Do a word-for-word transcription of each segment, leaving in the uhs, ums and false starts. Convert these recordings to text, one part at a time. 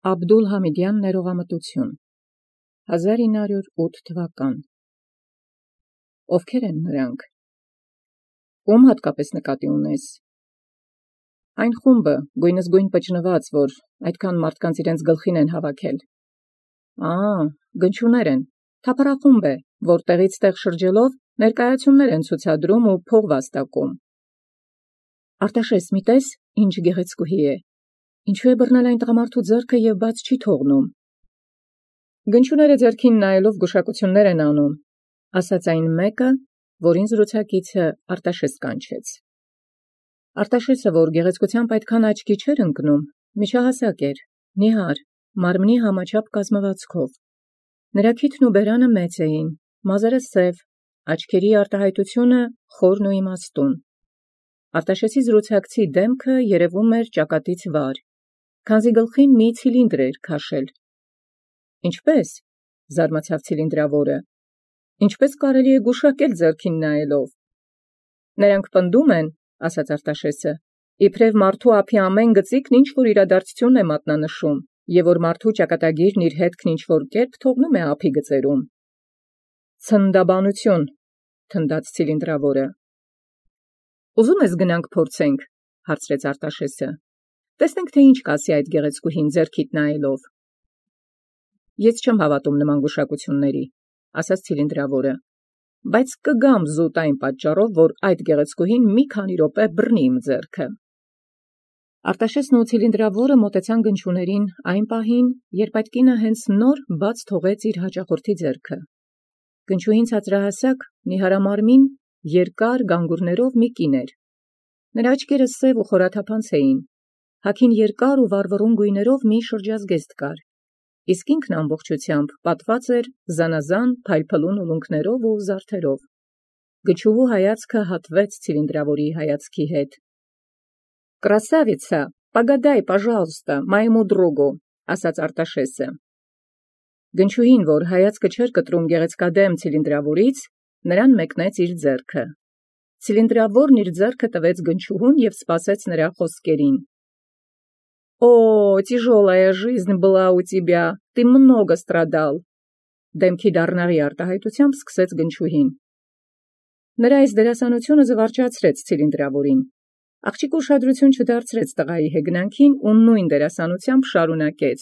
Աբդուլ-Համիդյան ներողամտություն հազար ինը հարյուր ութ թվական Ովքեր են նրանք, ում հատկապես նկատի ունես, այն խումբը գույնզգույն պճնված, որ այդքան մարդկանց իրենց գլխին են հավաքել, ա, գնչուներ են, թափառախումբ է, որ տեղից տեղ շրջելով ներկայացումներ են ցուցադրում ու փող վաստակում, Արտաշես մի տես, ինչ գեղեցկուհի է, ինչու է բռնել այն տղամարդու ձեռքը և բաց չի թողնում, Գնչուները ձեռքին նայելով գուշակություններ են անում, ասաց այն մեկը, որին զրուցակիցը Արտաշես կանչեց. Արտաշեսը, որ գեղեցկությամբ այդքան աչքի չէր ընկնում, միջահասակ էր, նիհար, մարմնի համաչափ կազմվածքով, նրա քիթն ու բերանը մեծ էին, մազերը սև, աչքերի արտահայտությունը խորն ու իմաստուն, Արտաշեսի զրուցակցի դեմքը երևում էր ճակատից վար, քանզի գլխին մի ցիլինդր էր քաշել, Ինչպե՞ս, զարմացավ ցիլինդրավորը, ինչպե՞ս կարելի է գուշակել ձեռքին նայելով, Նրանք պնդում են, ասաց Արտաշեսը, իբրև մարդու ափի ամեն գծիկն ինչ-որ իրադարձություն է մատնանշում, և որ մարդու ճակատագիրն իր հետքն ինչ-որ կերպ թողնում է ափի գծերում։ Ցնդաբանություն, թնդաց ցիլինդրավորը։ Ուզում ես գնանք փորձենք, հարցրեց Արտաշեսը։ Տեսնենք, թե ինչ կասի այդ գեղեցկուհին ձեռքիդ նայելով։ Ես չեմ հավատում նման գուշակությունների, ասաց ցիլինդրավորը, բայց կգամ զուտ այն պատճառով, որ այդ գեղեցկուհին մի քանի րոպե բռնի իմ ձեռքը։ Արտաշեսն ու ցիլինդրավորը մոտեցան գնչուներին այն պահին, երբ այդ կինը հենց նոր բաց թողեց իր հաճախորդի ձեռքը։ Գնչուհին ցածրահասակ, նիհարամարմին, երկար գանգուրներով մի կին էր։ Նրա աչքերը սև ու խորաթափանց էին, հագին երկար ու վառվռուն գույներով մի շրջազգեստ կար, իսկ ինքն ամբողջությամբ պատված էր զանազան փայլփլուն ուլունքներով ու զարդերով։ Գնչուհու հայացքը հատվեց ցիլինդրավորի հայացքի հետ։ «Красавица, погадай, пожалуйста, моему другу», ասաց Արտաշեսը։ Գնչուհին, որ հայացքը չէր կտրում գեղեցկադեմ ցիլինդրավորից, նրան մեկնեց իր ձեռքը։ Ցիլինդրավորն իր ձեռքը տվեց գնչուհուն և սպասեց նրա խոսքերին։ «Օ, тяжелая жизнь была у тебя, ты много страдал», դեմքի դառնաղի արտահայտությամբ սկսեց գնչուհին։ Նրա այս դերասանությունը զվարճացրեց ցիլինդրավորին։ Աղջիկը ուշադրություն չդարձրեց տղայի հեգնանքին ու նույն դերասանությամբ շարունակեց.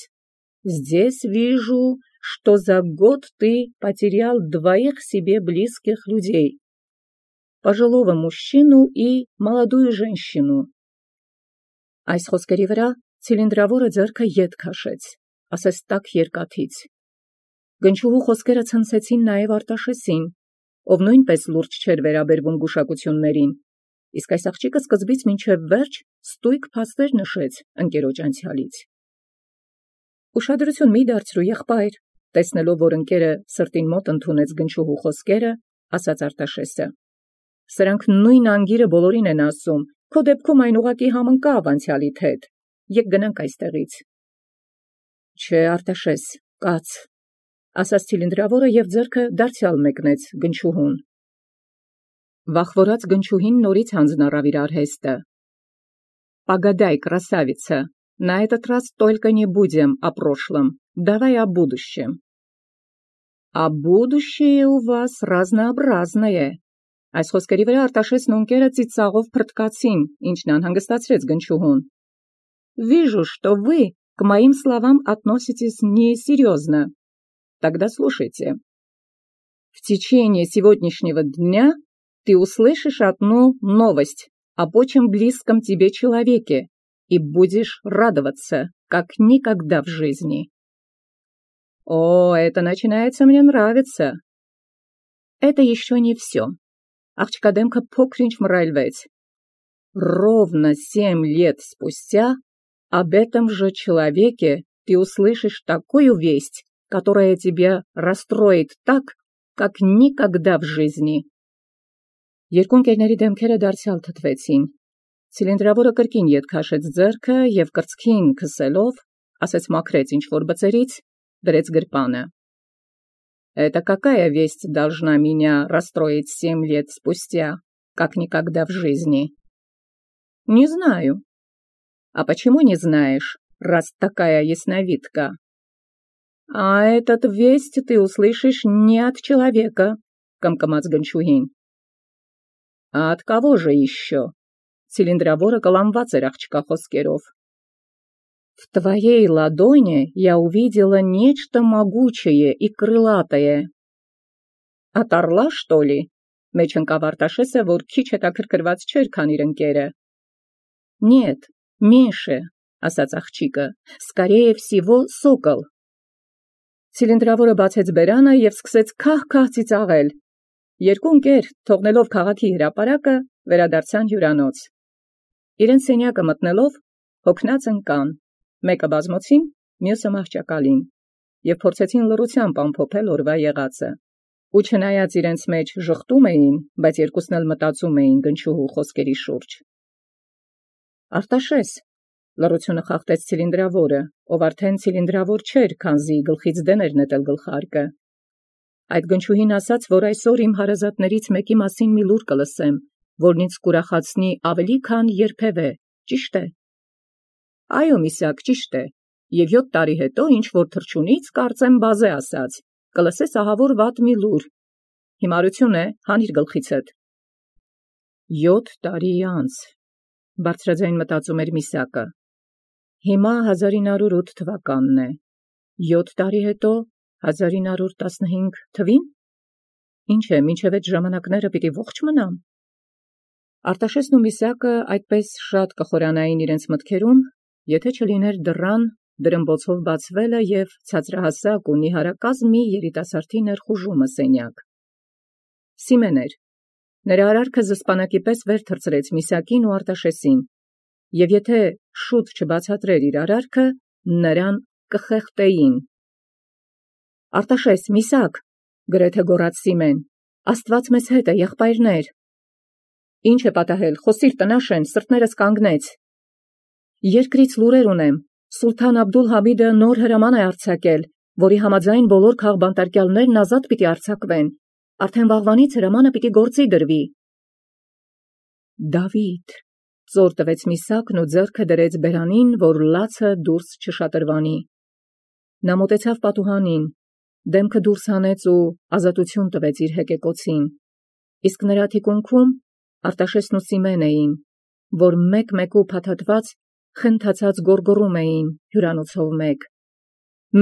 «Здесь вижу, что за год ты потерял двоих себе близких людей, пожилого мужчину и молодую женщину». Այս խոսքերի վրա ցիլինդրավորը ձեռքը ետ քաշեց, ասես տաք երկաթից։ Գնչուհու խոսքերը ցնցեցին նաև Արտաշեսին, ով նույնպես լուրջ չէր վերաբերվում գուշակություններին, իսկ այս աղջիկը սկզբից մինչև վերջ ստույգ փաստեր նշեց ընկերոջ անցյալից։ Ուշադրություն մի դարձրու, եղբայր, տեսնելով, որ ընկերը սրտին մոտ ընդունեց գնչուհու խոսքերը, ասաց Արտաշեսը. Սրանք նույն անգիրը բոլորին են ասում, քո դեպքում այն ուղղակի համընկավ անցյալիդ հետ, եկ գնանք այստեղից։ Չէ, Արտաշես, կաց, ասաց ցիլինդրավորը և ձեռքը դարձյալ մեկնեց գնչուհուն։ Վախվորած գնչուհին նորից հանձնառավ իր արհեստը։ «Погадай, красавица, на этот раз только не будем о прошлом, давай о будущем». «А будущее у вас разнообразное». Այս խոսքերի վրա Արտաշեսն ու ընկերը ծիծաղով փռթկացին, ինչն անհանգստացրեց գնչուհուն։ «Вижу, что вы к моим словам относитесь несерьезно. Тогда слушайте. В течение сегодняшнего дня ты услышишь одну новость об очень близком тебе человеке и будешь радоваться, как никогда в жизни». «О, это начинается мне нравиться». «Это еще не все». Աղջկա դեմքը փոքր-ինչ մռայլվեց։ «Ровно семь лет спустя об этом же человеке ты услышишь такую весть, которая тебя расстроит так, как никогда в жизни». Երկու ընկերների դեմքերը դարձյալ թթվեցին։ Ցիլինդրավորը կրկին ետ քաշեց ձեռքը և կրծքին քսելով, ասեց մաքրեց ինչ-որ բծերից, դրեց գրպանը։ «Это какая весть должна меня расстроить семь лет спустя, как никогда в жизни?» «Не знаю». «А почему не знаешь?» раз такая ясновидка. А этот весть ты услышишь не от человека, կմկմաց Գնչուհին. А от кого же еще? Цилиндрավորը կլանված էր աղջկա խոսքերով. В твоей ладони я увидела нечто могучее и крылатое. От орла, что ли? Մեջ ընկավ Արտաշեսը, որ քիչ հետաքրքրված չէր, քան իր ընկերը. Нет, меньше, ասաց աղջիկը, скорее всего, сокол. Ցիլինդրավորը բացեց բերանը եւ սկսեց քահ-քահ ծիծաղել. Երկու ընկեր, թողնելով քաղաքի հրապարակը, վերադարձան հյուրանոց. Իրենց սենյակը մտնելով, հոգնած ընկան, մեկը բազմոցին, մյուսը մահճակալին, եւ փորձեցին լռությամբ ամփոփել օրվա եղածը. Ու չնայած իրենց մեջ ժխտում էին, բայց երկուսն էլ մտածում էին Գնչուհու խոսքերի շուրջ. Արտաշես, լռությունը խախտեց ցիլինդրավորը, ով արդեն ցիլինդրավոր չէր, քանզի գլխից դեն էր նետել գլխարկը. Այդ Գնչուհին ասաց, որ այսօր իմ հարազատներից մեկի մասին մի լուր կլսեմ, որն ինձ կուրախացնի ավելի քան երբևէ, ճիշտ է։ Այո, Միսակ, ճիշտ է, եւ յոթ տարի հետո ինչ-որ թռչունից, կարծեմ բազե ասաց, կլսես ահավոր վատ մի լուր, հիմարություն է, հանիր գլխիցդ։ Յոթ տարի անց, բարձրաձայն մտածում էր Միսակը, հիմա հազար ինը հարյուր ութ թվականն է, յոթ տարի հետո հազար ինը հարյուր տասնհինգ թվին, ինչ է, մինչև այդ ժամանակները պիտի ողջ մնամ։ Արտաշեսն ու Միսակը այդպես շատ կխորանային իրենց մտքերում, եթե չլիներ դռան դրմբոցով բացվելը եւ ցածրահասակ ու նիհարակազմ մի երիտասարդի ներխուժումը սենյակ։ Սիմեն էր, նրա արարքը զսպանակի պես վեր թռցրեց Միսակին ու Արտաշեսին, եւ եթե շուտ չբացատրեր իր արարքը, նրան կխեղդեին։ Արտաշես, Միսակ, գրեթե գոռաց Սիմեն, Աստված մեզ հետ է, եղբայրներ։ Ինչ է պատահել, խոսիր տնաշեն, սրտներս կանգնեց։ Երկրից լուրեր ունեմ, Սուլթան Աբդուլ-Համիդը նոր հրաման է արձակել, որի համաձայն բոլոր քաղբանտարկյալներն ազատ պիտի արձակվեն, արդեն վաղվանից հրամանը պիտի գործի դրվի։ Դավիթ, ծոր տվեց Միսակն ու ձեռքը դրեց բերանին, որ լացը դուրս չշատրվանի։ Նա մոտեցավ պատուհանին, դեմքը դուրս հանեց ու ազատություն տվեց իր հեկեկոցին, իսկ նրա թիկունքում Արտաշեսն ու Սիմեն էին, որ մեկ-մեկու փաթաթված խնդացած գոռգոռում էին հյուրանոցով մեկ.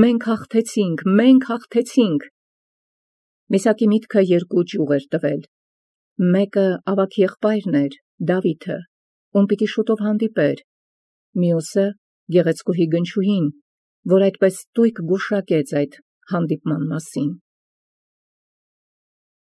Մենք հաղթեցինք, մենք հաղթեցինք։ Միսակի միտքը երկու ճյուղ էր տվել. մեկը ավագ եղբայրն էր, Դավիթը, ում պիտի շուտով հանդիպեր, մյուսը գեղեցկուհի Գնչուհին, որ այդպես ստույգ գուշակեց այդ հանդիպման մասին։